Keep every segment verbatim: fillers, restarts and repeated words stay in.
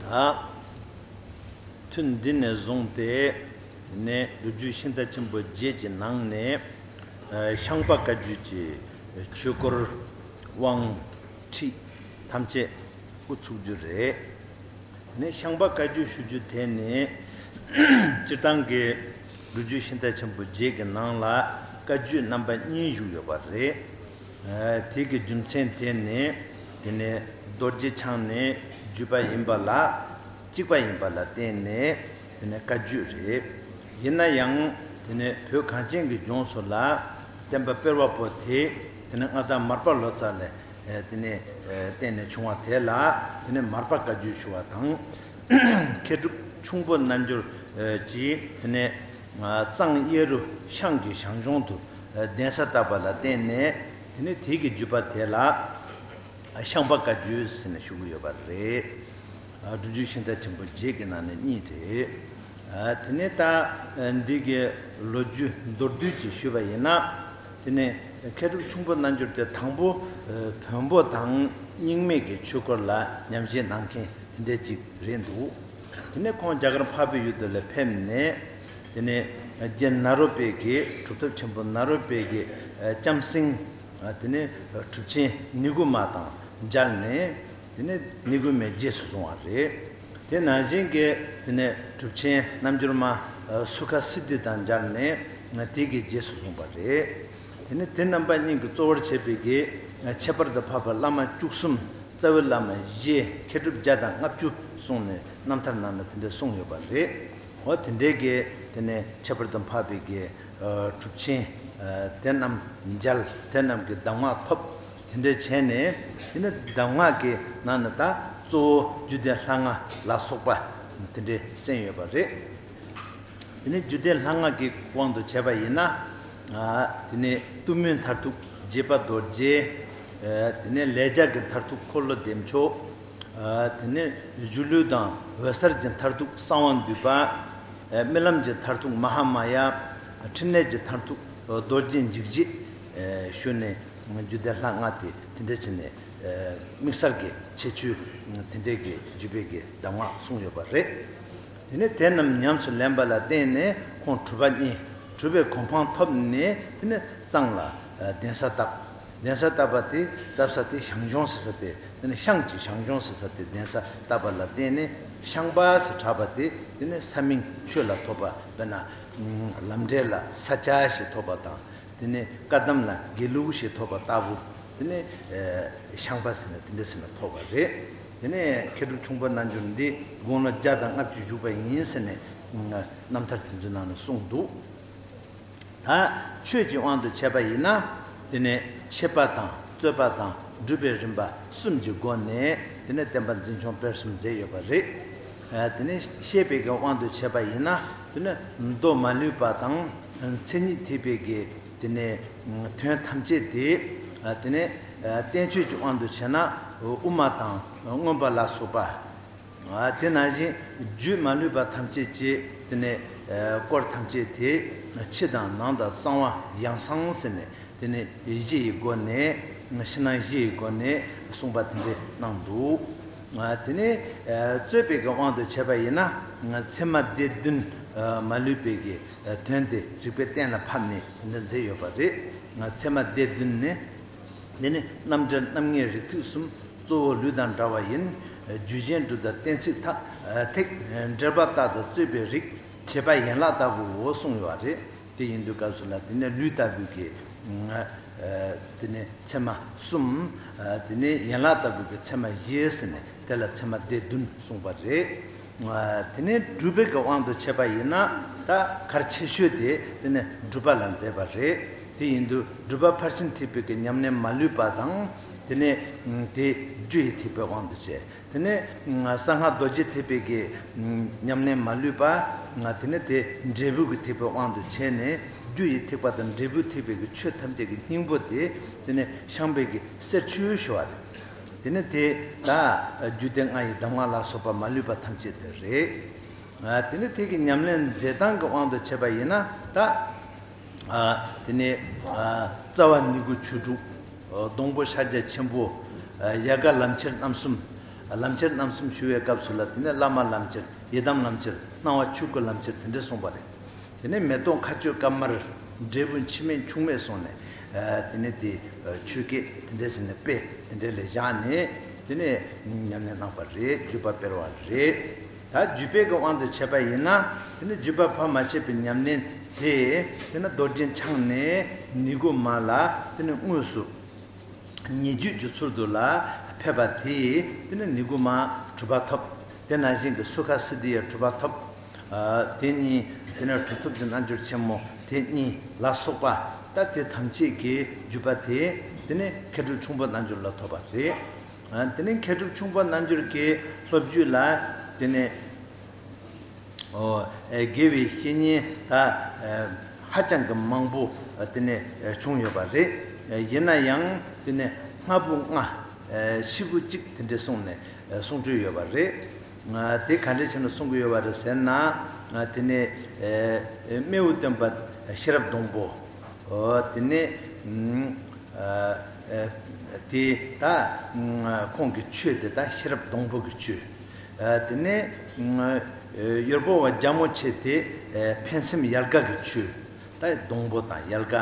ད་ཐུན་འདི་ནས་བཟུང་སྟེ་ནས་སྒྲུབ་བརྒྱུད་ཤིང་རྟ་ཆེན་པོ་བརྒྱད་ཀྱི་ནང་ནས་ཨ་ཤངས་པ་བཀའ་བརྒྱུད་ཀྱི་ཆོས་སྐོར་དབང་ཁྲིད་ཐམས་ཅད་འགོ་ཚུགས་རྒྱུ་རེད། དེ་ནས་ཤངས་པ་བཀའ་བརྒྱུད་ཞུ་རྒྱུ་དེ་ནི་སྤྱིར་བཏང་གི་སྒྲུབ་བརྒྱུད་ཤིང་རྟ་ཆེན་པོ་བརྒྱད་ཀྱི་ནང་ལ་བཀའ་བརྒྱུད་རྣམ་པ་གཉིས་བཞུགས་ཡོད་པ་རེད། ཨ་དེ་གི་རྒྱུ་མཚན་དེ་ནི་དེ་ནི་རྡོ་རྗེ་འཆང་ནས་བརྒྱུད་པ་ཡིན་པ་ལ་གཅིག་པ་ཡིན་པ་ལ་བརྟེན་ནས་དེ་ནི་བཀའ་བརྒྱུད་རེད། ཡིན་ན་ཡང་དེ་ནི་བོད་གངས་ཅན་གྱི་ལྗོངས་སུ་ལ་བསྟན་པ་སྤེལ་བ་པོ་དེ་དེ་ནི་མངའ་བདག་མར་པ་ལོ་ཙཱ་ལས་ཨེ་དེ་ནས་ཨེ་བརྟེན་ནས་བྱུང་བ་དེ་ལ་དེ་ནས་མར་པ་བཀའ་བརྒྱུད་ཞུ་བ་དང་། མཁས་གྲུབ་ཁྱུང་པོ་རྣལ་འབྱོར་ཨེ་གྱིས་དེ་ནས་ཨ་གཙང་གཡས་རུ་ཤངས་ཀྱི་ཞང་ཞུང་དུ་ཨེ་གདན་ས་བཏབ་པ་ལ་བརྟེན་ནས་དེ་ནས་དེ་གི་བརྒྱུད་པ་དེ་ལ་ཨ་ཤངས་པ་བཀའ་བརྒྱུད་ཟེར་ནས་ཞུ་གི་ཡོད་པ་རེད། ཨ་སྒྲུབ་བརྒྱུད་ཤིང་རྟ་ཆེན་པོ་བརྒྱད་ཀྱི་ནང་ནས་གཉིས་རེད། ཨ་དེ་ནས་ད་ཨ་འདི་གི་ལོ་རྒྱུས་མདོར་བསྡུས་ཀྱིས་ཞུས་པ་ཡིན་ན། དེ་ནས་མཁས་གྲུབ་ཁྱུང་པོ་རྣལ་འབྱོར་དེ་དང་པོ་ཨ་བོན་པོ་དང་རྙིང་མའི་གི་ཆོས་སྐོར་ལ་ཉམས་བཞེས་གནང་མཁན་དེ་འདྲ་ཅིག་རེད་འདུག་དེ་ནས་ཁོང་རྒྱ་གར་འཕགས་པའི་ཡུལ་དུ་ལ་ཕེབས་ནས། དེ་ནས་རྗེ་ནཱ་རོ་པའི་གི་གྲུབ་ཐོབ་ཆེན་པོ་ནཱ་རོ་པའི་གི་ཨ་ལྕམ་སྲིང་། ཨ་དེ་ནས་གྲུབ་ཆེན་ནི་གུ་མ་དང་མཇལ་ནས། དེ་ནས་ནི་གུ་མའི་རྗེས་སུ་བཟུང་བ་རེད། དེ་ནང་བཞིན་གྱི་དེ་ནས་གྲུབ་ཆེན་རྣལ་འབྱོར་མ་ཨ་སུ་ཁ་སིདྡྷི་དང་མཇལ་ནས་དེ་གི་རྗེས་སུ་བཟུང་བ་རེད། དེ་ནས་དེ་རྣམ་པ་གཉིས་ཀྱིས་གཙོ་བོར་བྱས་པའི་གི་ཨ་ཁྱད་པར་དུ་འཕགས་པའི་བླ་མ་བཅུ་གསུམ། རྩ་བའི་བླ་མ་བཞི། མཁས་གྲུབ་བརྒྱ་དང་ལྔ་བཅུ་གསུངས་ནས་རྣམ་ཐར་ནང་ན་དེ་འདྲ་གསུངས་ཡོད་པ་རེད། འོ་དེ་འདྲའི་གི་དེ་ནས་ཁྱད་པར་དུ་འཕགས་པའི་གི་ཨ་གྲུབ་ཆེན་ཨ་དེ་རྣམས་མཇལ། དེ་རྣམས་ཀྱི་གདམས་ངག་ཐོབ། དེ་འདྲ་བྱས་ནས་དེ་ནས་གདམས་ངག་གི་ནང་ནས་ད་གཙོ་བོ་རྒྱུད་སྡེ་ལྷ་ལྔ་ལ་སོགས་པ་དེ་འདྲ་གསན་ཡོད་པ་རེད། དེ་ནས་རྒྱུད་སྡེ་ལྷ་ལྔ་གི་དབང་དུ་བྱས་པ་ཡིན་ན། ཨ་དེ་ནས་གཏུམ་མོའི་མཐར་ཐུག་རྗེ་དཔལ་རྡོ་རྗེ། ཨ་དེ་ནས་ལས་རྒྱ་གི་མཐར་ཐུག་འཁོར་ལོ་བདེ་མཆོག་ཨ་དེ་ནས་སྒྱུ་ལུས་དང་འོད་གསལ་གྱི་མཐར་ཐུག་གསང་བ་འདུས་པ། ཨ་རྨི་ལམ་གྱི་མཐར་ཐུག་མ་ཧཱ་མ་ཡ། ཕྲིན་ལས་ཀྱི་མཐར་ཐུག་རྡོ་རྗེ་འཇིགས་བྱེད། ཨ་ཞུས་ནས་རྒྱུད་སྡེ་ལྷ་ལྔ་དེ་དེ་འདྲ་བྱས་ནས་ཨ་དམིགས་བསལ་གྱི་ཁྱད་ཆོས་དེ་འདྲའི་གི་རྒྱུད་པའི་གི་གདམས་ངག་གསུངས་ཡོད་པ་རེད། དེ་ནས་དེ་རྣམས་ཉམས་སུ་ལེན་པ་ལ་བརྟེན་ནས་ཁོང་གྲུབ་པ་བརྙེས། གྲུབ་པའི་གོ་འཕང་ཐོབ་ནས་དེ་ནས་གཙང་ལ་ཨ་གདན་ས་བཏབ། གདན་ས་བཏབ་པ་དེ་བཏབ་ས་དེ་ཞང་ཞུང་ཟེར་ས་དེ། དེ་ནས་ཤངས་ཀྱི་ཞང་ཞུང་ཟེར་ས་དེ་གདན་ས་བཏབ་པ་ལ་བརྟེན་ནས་ཤངས་པ་ཟེར་གྲགས་པ་དེ་དེ་ནས་ས་མིང་ཆོས་ལ་ཐོགས་པ། དཔེར་ན་ལམ་འབྲས་ལ་ས་སྐྱ་ཞེས་ཐོགས་པ་དང་། དེ་ནས་བཀའ་གདམས་ལ་དགེ་ལུགས་ཞེས་ཐོགས་པ་ལྟ་བུ། དེ་ནས་ཨེ་ཤངས་པ་ཟེར་ན་དེ་འདྲ་ཟེར་ན་ཐོགས་པ་རེད། དེ་ནས་མཁས་གྲུབ་ཁྱུང་པོ་རྣལ་འབྱོར་འདི་དགུང་ལོ་བརྒྱ་དང་ལྔ་བཅུ་བཞུགས་པ་ཡིན་ཟེར་ནས་རྣམ་ཐར་དེ་ཚོའི་ནང་ན་གསུངས་འདུག་ད་ཆོས་ཀྱི་དབང་དུ་བྱས་པ་ཡིན་ན། དེ་ནས་འཆད་པ་དང་རྩོད་པ་དང་སྒྲུབ་པའི་རིམ་པ་གསུམ་གྱི་སྒོ་ནས་དེ་ནས་བསྟན་པ་འཛིན་སྐྱོང་སྤེལ་གསུམ་མཛད་ཡོད་པ་རེད། ཨ་དེ་ནས་བཤད་པའི་གི་དབང་དུ་བྱས་པ་ཡིན་ན། དེ་ནས་མདོ་མ་ལུས་པ་དང་མཚན་ཉིད་ཐེག་པའི་གི་དེ་ནས་དོན་ཐམས་ཅད་དེ། ཨ་དེ་ནས་ཨ་བསྟན་བཅོས་ཀྱི་དབང་དུ་བྱས་ན་དབུ་མ་དང་མངོན་པ་ལ་སོགས་པ། ཨ་དེ་ནང་བཞིན་རྒྱུད་མ་ལུས་པ་ཐམས་ཅད་ཀྱི་དེ་ནས་ཨ་སྐོར་ཐམས་ཅད་དེ་ཕྱི་དང་ནང་དང་གསང་བ་ཡང་གསང་ཟེར་ནས་དེ་ནས་བཞི་ཡི་སྒོ་ནས་ཕྱི་ནང་བཞི་ཡི་སྒོ་ནས་གསུངས་པ་དེ་འདྲ་གནང་འདུག་ཨ་དེ་ནས་ཨ་རྩོད་པའི་གི་དབང་དུ་བྱས་པ་ཡིན་ན་ཚད་མ་སྡེ་བདུན་ཨ་མ་ལུས་པའི་གི་དོན་དེ་རིགས་པས་གཏན་ལ་ཕབ་ནས་དེ་འདྲ་མཛད་ཡོད་པ་རེད། ཚད་མ་སྡེ་བདུན་ནི། འདི་ནི་རྣམ་འགྲེལ་རྣམ་ངེས་རིགས་ཐིགས་གསུམ། གཙོ་བོ་ལུས་དང་འདྲ་བ་ཡིན། རྒྱུད་གཞན་སྒྲུབ་དང་གཏན་ཚིགས་ཐ་ཐིག་འགྲེལ་པ་ལྟར་དུ་རྩོད་པའི་རིགས་བྱེད་པ་ཡན་ལག་ལྟ་བུའོ་གསུངས་ཡོད་པ་རེད། དེ་ཡིན་དུས་སྐབས་སུ་ལ་དེ་ནི་ལུས་ལྟ་བུའི་གི་དེ་ནི་ཚད་མ་གསུམ། དེ་ནི་ཡན་ལག་ལྟ་བུའི་གི་ཚད་མ་བཞི་ཟེར་ནས་དེ་ལ་ཚད་མ་སྡེ་བདུན་གསུངས་པ་རེད། དེ་ནས་སྒྲུབ་པའི་གི་དབང་དུ་བྱས་པ་ཡིན་ན་ད་གལ་ཆེ་ཤོས་དེ་དེ་ནས་སྒྲུབ་པ་ལ་མཛད་པ་རེད། དེ་ཡིན་དུས་སྒྲུབ་པ་ཕར་ཕྱིན་ཐེག་པའི་གི་ཉམས་ལེན་མ་ལུས་པ་དང་། དེ་ནས་དེ་རྒྱུ་ཡི་ཐེག་པའི་དབང་དུ་བྱས། དེ་ནས་གསང་སྔགས་རྡོ་རྗེ་ཐེག་པའི་གི་ཉམས་ལེན་མ་ལུས་པ། དེ་ནས་དེ་འབྲས་བུ་གི་ཐེག་པའི་དབང་དུ་བྱས་ནས་རྒྱུ་ཡི་ཐེག་པ་དང་འབྲས་བུ་ཐེག་པའི་གི་ཆོས་ཐམས་ཅད་ཀྱི་སྙིང་པོ་དེ་དེ་ནས་ཤངས་པའི་གི་གསེར་ཆོས་ཞུ་བ་རེད། དེ་ནས་དེ་ད་རྒྱུད་སྡེ་ལྔ་ཡི་གདམས་ངག་ལ་སོགས་པ་མ་ལུས་པ་ཐམས་ཅད་དེ་རེད། ཨ་དེ་ནས་དེ་གི་ཉམས་ལེན་མཛད་སྟངས་ཀྱི་དབང་དུ་བྱས་པ་ཡིན་ན་ད། ཨ་དེ་ནས་ཨ་རྩ་བ་ནི་གུ་ཆོས་དྲུག་ཨ་སྡོང་པོ་ཕྱག་རྒྱ་ཆེན་པོ། ཨ་ཡལ་ག་ལམ་ཁྱེར་རྣམ་གསུམ། ལམ་ཁྱེར་རྣམ་གསུམ་ཞུ་བའི་སྐབས་སུ་ལ་དེ་ནས་བླ་མ་ལམ་ཁྱེར། ཡི་དམ་ལམ་ཁྱེར། སྣང་བ་ཆོས་སྐུ་ལམ་ཁྱེར་དེ་འདྲ་གསུངས་པ་རེད། དེ་ནས་མེ་ཏོག་མཁའ་སྤྱོད་དཀར་དམར། འབྲས་བུ་འཆི་མེད་འཆུག་མེད་གསུངས་ནས། དེ་ནས་དེ་ཆོས་སྐད་དེ་འདྲ་ཟེར་ནས་དཔེ་དེ་འདྲ་ལ་བཞག་ནས་དེ་ནས་ཉམས་ལེན་གནང་པ་རེད། བརྒྱུད་པ་སྤེལ་བ་རེད། ད་བརྒྱུད་པའི་གི་དབང་དུ་བྱས་པ་ཡིན་ན། དེ་ནས་བརྒྱུད་པ་ཕར་མ་ཆད་པའི་ཉམས་ལེན་དེ། དེ་ནས་རྡོ་རྗེ་འཆང་ནས་ནི་གོ་མ་ལ་དེ་ནས་དངོས་སུ་ཉེ་བརྒྱུད་ཀྱི་ཚུལ་དུ་ལ་ཕེབས་པ་དེས། དེ་ནས་ནི་གོ་མ་གྲུབ་པ་ཐོབ། དེ་ནང་བཞིན་གྱི་སུ་ཁ་སིདྡྷི་ཡ་གྲུབ་པ་ཐོབ། དེ་གཉིས་དེ་ནས་གྲུབ་ཐོབ་ཀྱི་རྣལ་འབྱོར་ཆེན་མོ་དེ་གཉིས་ལ་སོགས་པ། ད་དེ་ཐམས་ཅད་ཀྱི་བརྒྱུད་པ་དེ་དེ་ནས་མཁས་གྲུབ་ཁྱུང་པོ་རྣལ་འབྱོར་ལ་ཐོབ་པ་རེད། དེ་ནས་མཁས་གྲུབ་ཁྱུང་པོ་རྣལ་འབྱོར་གྱི་སློབ་བརྒྱུད་ལ་དེ་ནས། ཨོ། ཨེ། དགེ་བའི་བཤེས་གཉེན་ད་ཨེ་ཧ་ཅང་གི་མང་པོ་དེ་ནས་བྱུང་ཡོད་པ་རེད། ཡིན་ན་ཡང་དེ་ནས་སྔ་བུ་ལྔ། ཨེ། ཕྱི་བུ་གཅིག་དེ་འདྲ་གསུངས་ནས་གསུང་སྲོལ་ཡོད་པ་རེད། དེ་ག་འདྲ་བྱས་ནས་གསུང་གི་ཡོད་པ་རེད་ཟེར་ན། དེ་ནས་ཨེ་རྨེའུ་སྟོན་པ་ཤེས་རབ་སྡོང་པོ། ཨོ། དེ་ནས་ཨ། ཨ། དེ་ད་ཁོང་གི་ཆོས་དེ་ད་ཤེས་རབ་སྡོང་པོ་གི་ཆོས། ཨ། དེ་ནས་ཨ། ཡུལ་པོ་བ་རྒྱལ་མོ་ཆེ་དེ་ཨ། ཕན་སེམས་ཡལ་ག་གི་ཆོས། ད་སྡོང་པོ་དང་ཡལ་ག།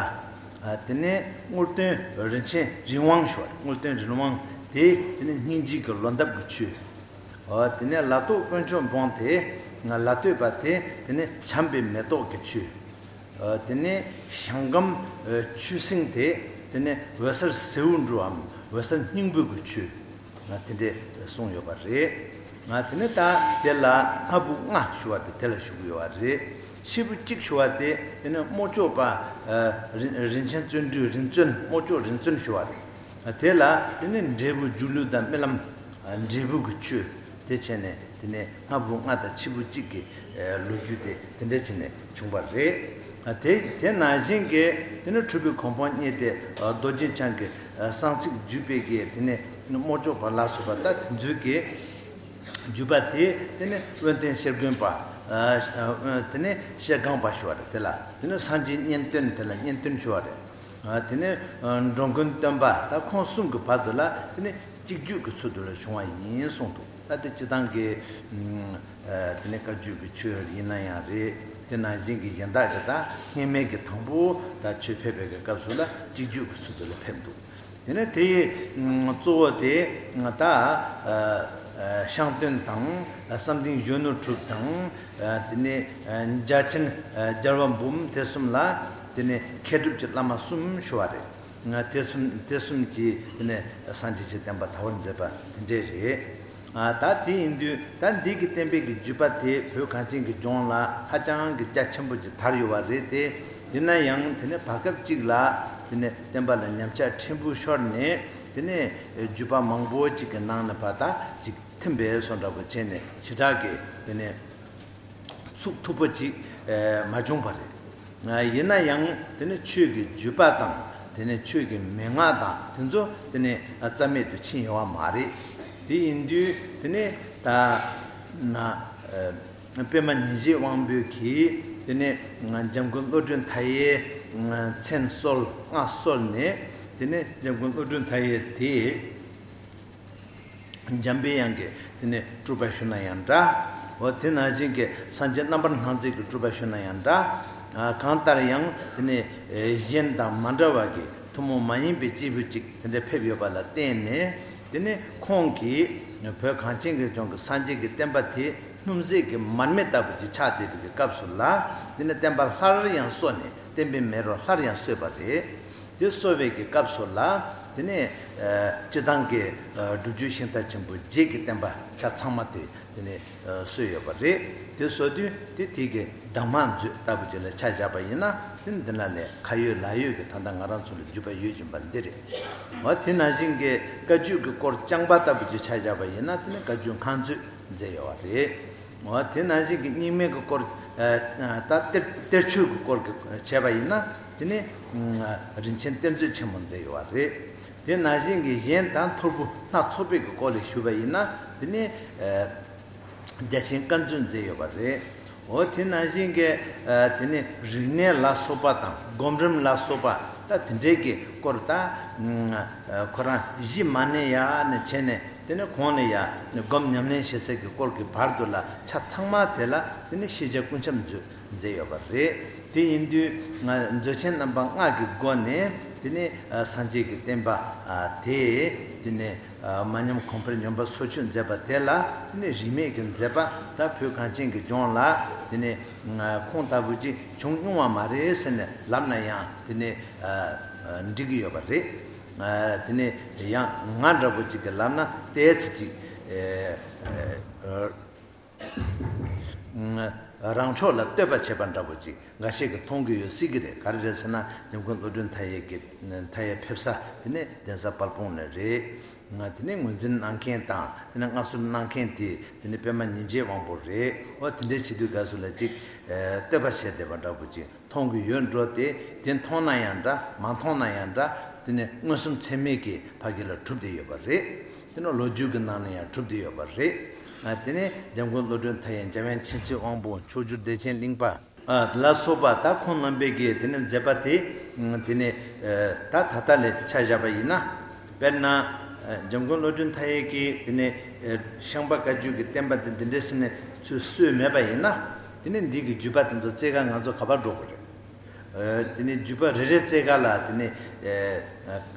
ཨ། དེ་ནས་རྔུལ་སྟོན་རིན་ཆེན་རི་དབང་ཞུ་བ་རེད། རྔུལ་སྟོན་རི་དབང་དེ་དེ་ནས་སྙིང་རྗེ་གི་ལོ་འདབ་ཀྱི་ཆོས། ཨ། དེ་ནས་ལ་ཏོག་དཀོན་མཆོག་འབུམ་དེ། ལ་སྟོད་པ་དེ་དེ་ནས་བྱམས་པའི་མེ་ཏོག་གི་ཆོས། ཨ། དེ་ནས་ཞང་ཀམ་ཨ། ཆོས་སེང་དེ་དེ་ནས་འོད་གསལ་ཟེའུ་འབྲུའམ་འོད་གསལ་སྙིང་པོ་གི་ཆོས། ང་དེ་འདྲས་གསུངས་ཡོད་པ་རེད། ང་དེ་ནས་ད་དེ་ལ་སྔ་བུ་ལྔ་ཞུ་བ་དེ་དེ་ལ་ཞུ་གི་ཡོད་པ་རེད། ཕྱི་བུ་གཅིག་ཞུ་བ་དེ་དེ་ནས་རྨོ་ཅོག་པ། ཨ། རིན་རིན་ཆེན་བརྩོན་འགྲུས་རིན་བརྩོན། རྨོ་ཅོག་རིན་བརྩོན་ཞུ་བ་རེད། དེ་ལ་དེ་ནས་འབྲས་བུ་སྒྱུ་ལུས་དང་རྨི་ལམ། ཨ། འབྲས་བུ་གི་ཆོས། དེ་བྱས་ནས་དེ་ནས་སྔ་བུ་ལྔ་དང་ཕྱི་བུ་གཅིག་གི་ལོ་རྒྱུས་དེ་དེ་འདྲ་བྱས་ནས་བྱུང་བ་རེད། དེ་དེ་ནང་བཞིན་གྱི་དེ་ནས་གྲུབ་པའི་གོ་འཕང་བརྙེས་ཏེ་རྡོ་རྗེ་འཆང་གི་གསང་ཚིག་བརྒྱུད་པའི་གི་དེ་ནས་རྨོ་ཅོག་པ་ལ་སོགས་པ་ད་དེ་ཚོའི་གི་བརྒྱུད་པ་དེ་དེ་ནས་དབོན་སྟོན་ཤེར་དགོན་པ། དེ་ནས་ཤེལ་སྒང་པ་ཞུ་བ་རེད། དེ་ལ་དེ་ནས་སངས་རྒྱས་གཉན་སྟོན། དེ་ལ་གཉན་སྟོན་ཞུ་བ་རེད། དེ་ནས་འགྲོ་མགོན་སྟོན་པ། ད་ཁོང་གསུམ་གྱི་བར་དུ་ལ་དེ་ནས་གཅིག་བརྒྱུད་ཀྱི་ཚུལ་དུ་ལ་བྱུང་བ་ཡིན་གསུངས་འདུག་ད་དེ་སྤྱི་བཏང་གི་ཨ། དེ་ནས་བཀའ་བརྒྱུད་ཀྱི་ཆོས་ཡིན་ན་ཡང་རེད། དེ་ནང་བཞིན་གྱི་གཞན་དག་གི་ད་སྔོན་མའི་གི་དང་པོ་ད་ཆོས་ཕེབས་པའི་གི་སྐབས་སུ་ལ་གཅིག་བརྒྱུད་ཀྱི་ཚུལ་དུ་ལ་ཕེབས་འདུག་དེ་ནས་དེ་ཡི་གཙོ་བོ་དེ་ད་ཨ། ཤངས་སྟོན་དང་། བསམ་གཏན་གཞོན་ནུ་གྲུབ་དང་། དེ་ནས་འཇའ་ཆེན་རྒྱལ་བ་འབུམ། དེ་གསུམ་ལ་དེ་ནས་མཁས་གྲུབ་ཀྱི་བླ་མ་གསུམ་ཞུ་བ་རེད། དེ་གསུམ་དེ་གསུམ་གྱིས་དེ་ནས་སངས་རྒྱས་ཀྱི་བསྟན་པ་དར་བར་མཛད་པ་དེ་འདྲས་རེད། ད་དེ་ཡིན་དུས་ད་འདི་གི་བསྟན་པའི་གི་བརྒྱུད་པ་དེ་བོད་གངས་ཅན་གྱི་ལྗོངས་ལ་ཧ་ཅང་གི་རྒྱ་ཆེན་པོ་ཅིག་དར་ཡོད་པ་རེད་དེ། ཡིན་ན་ཡང་དེ་ནས་བར་སྐབས་ཅིག་ལ་དེ་ནས་བསྟན་པ་ལ་ཉམས་ཆག་ཕྲན་བུ་ཤོར་ནས། དེ་ནས་བརྒྱུད་པ་མང་པོ་ཅིག་གི་ནང་ནས་ཕར་ད་ཅིག་ཐིམ་པའི་བཟོ་འདྲ་པོ་བྱས་ནས་ཞེ་དྲག་གི་དེ་ནས་ཚུགས་ཐུབ་པོ་ཅིག་ཨེ་མ་བྱུང་བ་རེད། ཡིན་ན་ཡང་དེ་ནི་ཆོས་ཀྱི་བརྒྱུད་པ་དང་། དེ་ནི་ཆོས་ཀྱི་མན་ངག་དང་། དེ་ཚོ་དེ་ནི་རྩ་མེད་དུ་ཕྱིན་ཡོད་པ་མ་རེད། དེ་ཡིན་དུས་དེ་ནི་ད་ན་ཨེ་པདྨ་ཉི་ཟེར་དབང་པོ་གིས་དེ་ནི་འཇམ་མགོན་བློ་གྲོས་མཐའ་ཡས་མཚན་གསོལ་སྔགས་གསོལ་ནས། དེ་ནི་འཇམ་མགོན་བློ་གྲོས་མཐའ་ཡས་དེ། འཇམ་པའི་དབྱངས་ཀྱི་དེ་ནས་སྤྲུལ་པ་ཞུ་ན་ཡང་འདྲ། འོ་དེ་ནང་བཞིན་གྱི་སངས་རྒྱས་རྣམ་པར་སྣང་མཛད་ཀྱི་སྤྲུལ་པ་ཞུ་ན་ཡང་འདྲ། ཨ། གང་ལྟར་ཡང་དེ་ནས་ཨེ་གཞན་དང་མ་འདྲ་བ་གི་ཐུན་མོང་མ་ཡིན་པའི་སྐྱེས་བུ་ཅིག་དེ་འདྲ་ཕེབས་ཡོད་པ་ལ་བརྟེན་ནས། དེ་ནས་ཁོང་གིས་བོད་གངས་ཅན་གྱི་ལྗོངས་ཀྱི་སངས་རྒྱས་ཀྱི་བསྟན་པ་དེ་སྣུམ་ཟད་ཀྱི་མར་མེ་ལྟ་བུ་ཅིག་ཆགས་བསྡད་པའི་གི་སྐབས་སུ་ལ། དེ་ནས་བསྟན་པ་སླར་ཡང་གསོ་ནས། བསྟན་པའི་མེ་རོ་སླར་ཡང་གསོས་པ་རེད། དེ་གསོ་བའི་གི་སྐབས་སུ་ལ། དེ་ནས་ཨ་སྤྱི་བཏང་གི་ཨ་སྒྲུབ་བརྒྱུད་ཤིང་རྟ་ཆེན་པོ་བརྒྱད་ཀྱི་བསྟན་པ་ཆ་ཚང་མ་དེ་དེ་ནས་ཨ་གསོས་ཡོད་པ་རེད། དེ་གསོ་དུས་དེ་དེ་གི་གདམས་ངག་མཛོད་ལྟ་བུ་ཅིག་ལ་ཆ་བཞག་པ་ཡིན་ན། དེ་ནི་འདི་ན་ལས་ཁ་ཡོད་ལག་ཡོད་ཀྱི་ད་ལྟ་ང་རང་ཚོ་ལ་བརྒྱུད་པ་ཡོད་བཞིན་པ་འདི་རེད། འོ་དེ་ནང་བཞིན་གྱི་བཀའ་བརྒྱུད་ཀྱི་སྐོར་རྐྱང་པ་ལྟ་བུ་ཅིག་ཆ་བཞག་པ་ཡིན་ན། དེ་ནི་བཀའ་བརྒྱུད་སྔགས་མཛོད་མཛད་ཡོད་པ་རེད། འོ་དེ་ནང་བཞིན་གྱི་རྙིང་མའི་གི་སྐོར། ཨ་ད་གཏེར་གཏེར་ཆོས་ཀྱི་སྐོར་གྱི་བྱས་པ་ཡིན་ན། དེ་ནི་ཨ་རིན་ཆེན་གཏེར་མཛོད་ཆེན་མོ་མཛད་ཡོད་པ་རེད། དེ་ནང་བཞིན་གྱི་གཞན་དང་ཐོར་བུ་སྣ་ཚོགས་པའི་གི་སྐོར་ལ་ཞུས་པ་ཡིན་ན། དེ་ནི་ཨ་རྒྱ་ཆེན་བཀའ་མཛོད་མཛད་ཡོད་པ་རེད། འོ་དེ་ནང་བཞིན་གྱི་ཨ་དེ་ནི་རིག་གནས་ལ་སོགས་པ་དང་། སྒོམ་རིམ་ལ་སོགས་པ། ད་དེ་འདྲའི་གི་སྐོར་ད་ཨ་ཁོ་རང་གཞི་མ་ནས་ཡ་ནས་བྱས་ནས། དེ་ནས་གོང་ནས་ཡང་སྒོམ་ཉམས་ལེན་བྱེད་སའི་གི་སྐོར་གྱི་བར་དུ་ལ་ཆ་ཚང་མ་དེ་ལ་དེ་ནས་ཤེས་བྱ་ཀུན་ཁྱབ་མཛོད་མཛད་ཡོད་པ་རེད། དེ་ཡིན་དུས་ང་མཛོད་ཆེན་རྣམ་པ་ལྔ་གི་སྒོ་ནས་དེ་ནས་སངས་རྒྱས་ཀྱི་བསྟན་པ་དེ་དེ་ནས་མ་ཉམས་གོང་འཕེལ་སྙོམས་པར་སོར་ཆུད་མཛད་པ་དེ་ལ་དེ་ནས་རིས་མེད་ཀྱི་མཛད་པ་ད་བོད་གངས་ཅན་གྱི་ལྗོངས་ལ་དེ་ནས་ཁོང་ལྟ་བུ་ཅིག་བྱུང་མྱོང་བ་མ་རེད་ཟེར་ནས་ལབ་ན་ཡང་དེ་ནས་འགྲིག་གི་ཡོད་པ་རེད། དེ་ནས་ཡང་ང་འདྲ་པོ་ཅིག་གིས་ལབ་ན་ཏོག་ཙམ་ཅིག་རང་ཕྱོགས་ལ་བསྟོད་པ་བྱས་པ་འདྲ་པོ་ཅིག་འགའ་ཤས་ཀྱིས་མཐོང་གི་ཡོད་སྲིད་ཀྱི་རེད། ག་རེ་རེད་ཟེར་ན་འཇམ་མགོན་བློ་གྲོས་མཐའ་ཡས་ཀྱི་མཐའ་ཡས་ཕེབས་ས་དེ་ནས་གདན་ས་དཔལ་སྤུངས་ནས་རེད། དེ་ནས་ངོས་འཛིན་གནང་མཁན་དང་དེ་ནས་མངའ་གསོལ་གནང་མཁན་དེ་དེ་ནས་པད་མ་ཉིན་བྱེད་དབང་པོ་རེད། འོ་དེ་འདྲའི་བྱེད་དུས་སྐབས་སུ་ལ་ཅིག་བསྟོད་པ་བྱས་བསྡད་པ་འདྲ་པོ་ཅིག་མཐོང་གི་ཡོད་འགྲོ། དེ་དེ་མཐོང་ན་ཡང་འདྲ་མ་མཐོང་ན་ཡང་འདྲ། དེ་ནི་མངོན་སུམ་ཚད་མའི་གི་ཕ་གི་ལ་གྲུབ་བསྡད་ཡོད་པ་རེད། དེ་ནི་ལོ་རྒྱུས་ཀྱི་ནང་ན་ཡང་གྲུབ་བསྡད་ཡོད་པ་རེད། དེ་ནི་འཇམ་མགོན་བློ་གྲོས་མཐའ་ཡས་འཇམ་དབྱངས་མཁྱེན་བརྩེ་དབང་པོ་མཆོག་གྱུར་བདེ་ཆེན་གླིང་པ་ལ་སོགས་པ་ད་ཁོང་རྣམ་པའི་གི་དེ་ནི་མཛད་པ་དེ་དེ་ནི་ད་ད་ལྟ་ལ་ཆ་བཞག་པ་ཡིན་ན། དཔེར་ན། འཇམ་མགོན་བློ་གྲོས་མཐའ་ཡས་ཀྱིས་དེ་ནས་ཤངས་པ་བཀའ་བརྒྱུད་ཀྱི་བསྟན་པ་འདི་འདི་འདྲ་ཞིག་ནས་ཚུར་གསོས་མེད་པ་ཡིན་ན། དེ་ནས་འདི་གི་བརྒྱུད་པ་དེ་ཚོ་བཙལ་ག་ང་ཚོ་ག་པར་འགྲོ་དགོས་རེད། དེ་ནས་བརྒྱུད་པ་རེ་རེ་བཙལ་ག་ལ་དེ་ནས་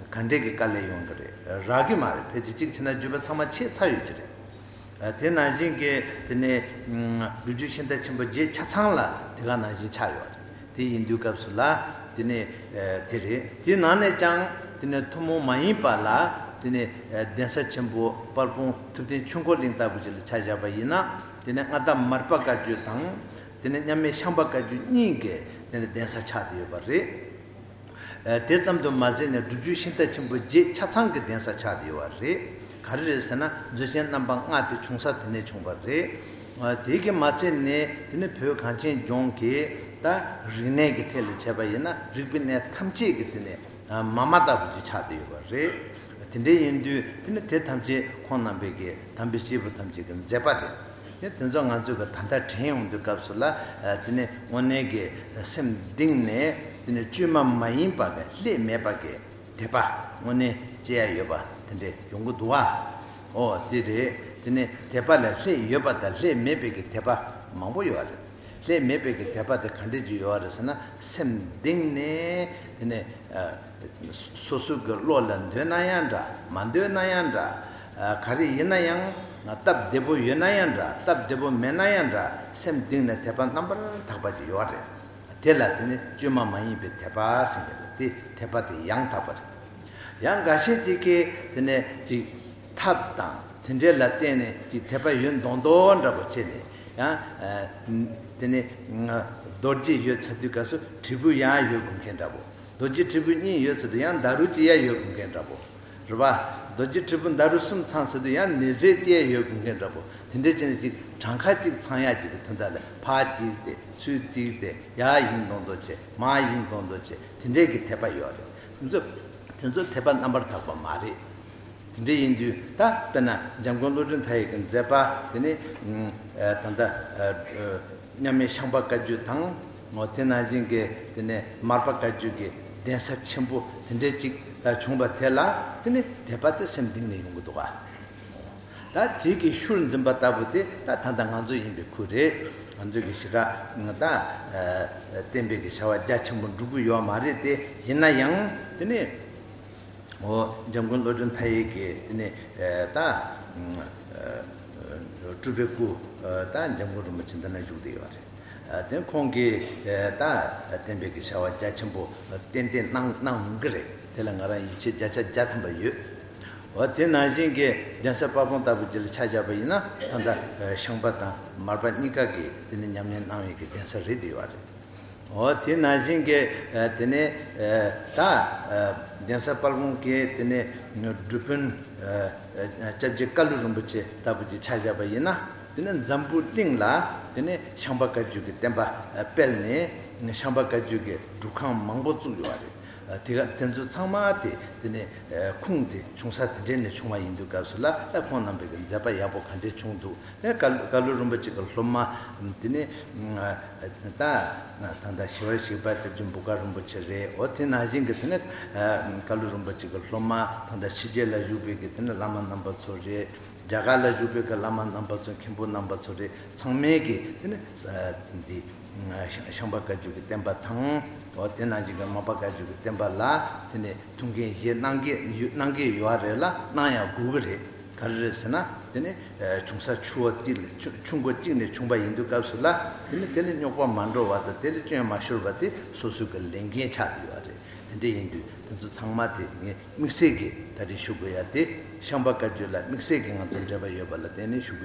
ག་འདྲས་ཀྱི་དཀའ་ལས་ཡོང་གི་རེད། རག་གི་མ་རེད། ཕལ་ཆེར་གཅིག་བྱས་ན་བརྒྱུད་པ་ཚང་མ་ཆད་ཚར་ཡོད་ཀྱི་རེད། དེ་ནང་བཞིན་གྱི་དེ་ནས་སྒྲུབ་བརྒྱུད་ཤིང་རྟ་ཆེན་པོ་བརྒྱད་ཆ་ཚང་ལ་དེ་ག་ནང་བཞིན་ཆགས་ཡོད་རེད། དེ་ཡིན་དུས་སྐབས་སུ་ལ་དེ་ནས་དེ་རེད། དེ་ནང་ནས་ཀྱང་དེ་ནས་ཐུན་མོང་མ་ཡིན་པ་ལ་དེ་ནས་གདན་ས་ཆེན་པོ་དཔལ་སྤུངས་ཐུབ་བསྟན་ཆོས་འཁོར་གླིང་ལྟ་བུ་ཅིག་ལ་ཆ་བཞག་པ་ཡིན་ན། དེ་ནས་མངའ་བདག་མར་པ་བཀའ་བརྒྱུད་དང་དེ་ནས་མཉམ་མེད་ཤངས་པ་བཀའ་བརྒྱུད་གཉིས་ཀྱི་དེ་ནས་གདན་ས་ཆགས་བསྡད་ཡོད་པ་རེད། དེ་ཙམ་དུ་མ་ཟད་ནས་སྒྲུབ་བརྒྱུད་ཤིང་རྟ་ཆེན་པོ་བརྒྱད་ཆ་ཚང་གི་གདན་ས་ཆགས་བསྡད་ཡོད་པ་རེད། ག་རེ་རེད་ཟེར་ན་མཛོད་ཆེན་རྣམ་པ་ལྔ་དེ་བྱུང་ས་དེ་ནས་བྱུང་བ་རེད། དེ་གི་མ་ཚད་ནས་དེ་ནི་བོད་གངས་ཅན་ལྗོངས་ཀྱི་ད་རིག་གནས་ཀྱི་ཐད་ལ་བྱས་པ་ཡིན་ན་རིག་པའི་གནས་ཐམས་ཅད་ཀྱི་དེ་ནས་མ་མ་ལྟ་བུ་ཅིག་ཆགས་བསྡད་ཡོད་པ་རེད། དེ་འདྲ་ཡིན་དུས་དེ་ནི་དེ་ཐམས་ཅད་ཁོང་རྣམ་པའི་གི་དམ་པའི་སྐྱེས་བུ་ཐམས་ཅད་ཀྱི་མཛད་པ་རེད། དེ་དེ་ཚོ་ང་ཚོས་གི་ད་ལྟ་དྲན་ཡོང་དུས་སྐབས་སུ་ལ་དེ་ནི་དངོས་གནས་ཀྱི་སེམས་གཏིང་ནས་དེ་ནི་བཅོས་མ་མ་ཡིན་པ་གི་ལྷད་མེད་པ་གི་དད་པ་དངོས་གནས་སྐྱེ་ཡ་ཡོད་པ་དེ་འདྲ་ཡོང་གི་འདུག་ཨ། ཨོ་དེ་རེད། དེ་ནི་དད་པ་ལ་ལྷད་ཡོད་པ་དང་ལྷད་མེད་པའི་གི་དད་པ་མང་པོ་ཡོད་རེད། ལྷད་མེད་པའི་གི་དད་པ་དེ་ག་འདྲས་ཅིག་ཡོད་རེད་ཟེར་ན་སེམས་གཏིང་ནས་དེ་ནས་སོ་སོ་གི་བློ་ལ་འདོད་ན་ཡང་འདྲ་མ་འདོད་ན་ཡང་འདྲ། ག་རེ་ཡིན་ན་ཡང་སྟབས་བདེ་པོ་ཡོད་ན་ཡང་འདྲ་སྟབས་བདེ་པོ་མེད་ན་ཡང་འདྲ་སེམས་གཏིང་ནས་དད་པ་རྣམ་པར་དག་པ་ཅིག་ཡོད་རེད། དེ་ལ་དེ་ནི་བཅོས་མ་མ་ཡིན་པའི་དད་པ་ཟེར་གྱི་རེད། དེ་དད་པ་དེ་ཡང་དག་པ་རེད། ཡང་འགའ་ཤས་ཅིག་གིས་དེ་ནས་ཅིག་ཐབས་དང་དེ་འདྲས་ལ་བརྟེན་ནས་ཅིག་དད་པ་ཡོད་མདོག་མདོག་འདྲ་པོ་བྱས་ནས་ཡང་དེ་ནས་རྡོ་རྗེ་ཡོད་ཚར་དུས་སྐབས་སུ་དྲིལ་བུ་ཡང་ཡོད་དགོས་མཁན་འདྲ་པོ། རྡོ་རྗེ་དྲིལ་བུ་གཉིས་ཡོད་ཚར་དུས་ཡང་ཟླ་རུ་གཅིག་ཡང་ཡོད་དགོས་མཁན་འདྲ་པོ། རེད་པ། རྡོ་རྗེ་དྲིལ་བུ་ཟླ་རུ་གསུམ་ཚང་ཚར་དུས་ཡང་ནི་ཟེར་གཅིག་ཡང་ཡོད་དགོས་མཁན་འདྲ་པོ། དེ་འདྲས་བྱས་ནས་ཅིག་གྲངས་ཀ་གཅིག་ཚང་ཡག་ཅིག་གི་དོན་དག་ལ་ཕར་གཅིག་དེ་ཚུར་གཅིག་དེ་ཡར་ཡིན་མདོག་མདོག་བྱས་མར་ཡིན་མདོག་མདོག་བྱས་དེ་འདྲས་ཀྱི་དད་པ་ཡོད་རེད། དེ་ཚོ་དེ་ཚོ་དད་པ་རྣམ་པར་དག་པ་མ་རེད། དེ་འདྲ་ཡིན་དུས་ད་དཔེར་ན་འཇམ་མགོན་བློ་གྲོས་མཐའ་ཡས་ཀྱི་མཛད་པ་དེ་ནི་ད་ལྟ་མཉམ་མེད་ཤངས་པ་བཀའ་བརྒྱུད་དང་དེ་ནང་བཞིན་གྱི་དེ་ནས་མར་པ་བཀའ་བརྒྱུད་ཀྱི་གདན་ས་ཆེན་པོ་དེ་འདྲ་ཅིག་ད་བྱུང་བ་དེ་ལ་དེ་ནི་དད་པ་དེ་སེམས་གཏིང་ནས་ཡོང་གི་འདུག་ག་ད་དེ་གི་ཤུལ་འཛིན་པ་ལྟ་བུ་དེ་ད་ད་ལྟ་ང་ཚོ་ཡིན་པའི་ཁུལ་རེད། ང་ཚོ་གི་ཞེ་དྲག་ད་བསྟན་པའི་གི་བྱ་བ་རྒྱ་ཆེན་པོ་འགྲུབ་གི་ཡོད་མ་རེད་དེ། ཡིན་ན་ཡང་དེ་ནི། འོ། འཇམ་མགོན་བློ་གྲོས་མཐའ་ཡས་ཀྱིས་དེ་ནས་ད་སྤྲུལ་པའི་སྐུ་ད་འཇམ་མགོན་རིན་པོ་ཆེ་འདི་ན་བཞུགས་བསྡད་ཡོད་རེད། དེ་ཁོང་གིས་ད་བསྟན་པའི་གི་བྱ་བ་རྒྱ་ཆེན་པོ་ཏན་ཏན་གནང་གནང་གི་རེད། དེ་ལ་ང་རང་ཡིད་ཆེས་བརྒྱ་ཆ་བརྒྱ་ཐམ་པ་ཡོད། འོ་དེ་ནང་བཞིན་གྱི་གདན་ས་དཔལ་སྤུངས་ལྟ་བུ་ཅིག་ལ་ཆ་བཞག་པ་ཡིན་ན་ད་ལྟ་ཤངས་པ་དང་མར་པ་གཉིས་ཀ་གིས་དེ་ནས་ཉམས་ལེན་གནང་བའི་གི་གདན་ས་རེད་བསྡད་ཡོད་རེད། འོ་དེ་ནང་བཞིན་གྱི་དེ་ནས་ད་གདན་ས་དཔལ་སྤུངས་ཀྱི་དེ་ནས་སྒྲུབ་དཔོན་སྐྱབས་རྗེ་ཀ་ལུ་རིན་པོ་ཆེ་ལྟ་བུ་ཅིག་ཆ་བཞག་པ་ཡིན་ན། དེ་ནས་འཛམ་བུ་གླིང་ལ་དེ་ནས་ཤངས་པ་བཀའ་བརྒྱུད་ཀྱི་བསྟན་པ་སྤེལ་ནས་ཤངས་པ་བཀའ་བརྒྱུད་ཀྱི་སྒྲུབ་ཁང་མང་པོ་བཙུགས་ཡོད་རེད། དེ་ག་དེ་ཚོ་ཚང་མ་དེ་དེ་ནས་ཁུངས་དེ་བྱུང་ས་དེ་འདྲས་ནས་བྱུང་བ་ཡིན་དུས་སྐབས་སུ་ལ་ད་ཁོང་རྣམ་པའི་གི་མཛད་པ་ཡག་པོ་ག་འདྲས་བྱུང་འདུག་དེ་ཀ་ཀ་ལུ་རིན་པོ་ཆེ་གི་སློབ་མ་དེ་ནས་ད་ད་ལྟ་ཞི་བར་གཤེགས་པ་སྐྱབས་རྗེ་འབོ་དཀར་རིན་པོ་ཆེ་རེད། འོ་དེ་ནང་བཞིན་གི་དེ་ནས་ཀ་ལུ་རིན་པོ་ཆེ་གི་སློབ་མ་ད་ལྟ་ཕྱི་རྒྱལ་ལ་བཞུགས་པའི་གི་དེ་ནས་བླ་མ་རྣམ་པ་ཚོ་རེད། རྒྱ་གར་ལ་བཞུགས་པའི་གི་བླ་མ་རྣམ་པ་ཚོ་མཁན་པོ་རྣམ་པ་ཚོ་རེད། ཚང་མས་གི་དེ་ནས་འདི་ཤངས་པ་བཀའ་བརྒྱུད་ཀྱི་བསྟན་པ་དང་། འོ་དེ་ནང་བཞིན་གྱི་མར་པ་བཀའ་བརྒྱུད་ཀྱི་བསྟན་པ་ལ་དེ་ནས་ཐུགས་འགན་བཞེས་གནང་གི་ཡོད་གནང་གི་ཡོད་རེད་ལ་གནང་ཡང་དགོས་ཀྱི་རེད། ག་རེ་རེད་ཟེར་ན་དེ་ནས་བྱུང་ས་ཆུ་བོ་གཅིག་ནས་ཆུ་ཆུ་མགོ་གཅིག་ནས་བྱུང་པ་ཡིན་དུས་སྐབས་སུ་ལ་དེ་ནས་དེ་ལ་རྙོག་པ་མ་འགྲོ་བ་དང་དེ་ལ་སྐྱོན་མ་ཤོར་བ་དེ་སོ་སོའི་གི་ལས་འགན་ཆགས་བསྡད་ཡོད་རེད། དེ་འདྲ་ཡིན་དུས་དེ་ཚོ་ཚང་མ་དེ་ངས་དམིགས་བསལ་གྱི་ད་རེས་ཞུ་དགོས་ཡ་དེ་ཤངས་པ་བཀའ་བརྒྱུད་ལ་དམིགས་བསལ་གྱི་ང་ཚོ་འབྲེལ་བ་ཡོད་པ་ལ་བརྟེན་ནས་ཞུ་དགོས།